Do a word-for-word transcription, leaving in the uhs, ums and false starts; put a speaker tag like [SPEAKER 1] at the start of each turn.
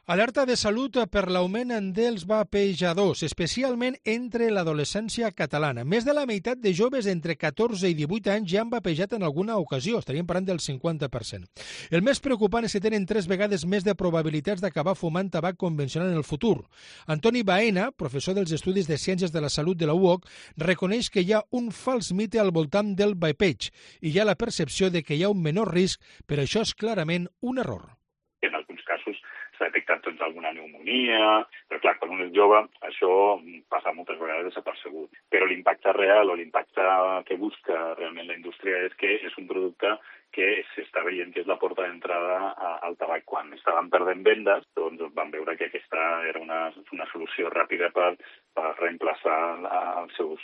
[SPEAKER 1] Alerta de salut per l'augment dels vapejadors, especialment entre l'adolescència catalana. Més de la meitat de joves entre catorze i divuit anys ja han vapejat en alguna ocasió, estaríem parlant del cinquanta per cent. El més preocupant és que tenen tres vegades més de probabilitats d'acabar fumant tabac convencional en el futur. Antoni Baena, professor dels Estudis de Ciències de la Salut de la U O C, reconeix que hi ha un fals mite al voltant del vapeig i hi ha la percepció de que hi ha un menor risc, però això és clarament un error.
[SPEAKER 2] En alguns casos s'ha detectat doncs, alguna pneumonia, però clar, quan un és jove això passa moltes vegades desapercebut. Però l'impacte real o l'impacte que busca realment la indústria és que és un producte que s'està veient que és la porta d'entrada al tabac. Quan estaven perdent vendes, doncs van veure que aquesta era una, una solució ràpida per, per reemplaçar els seus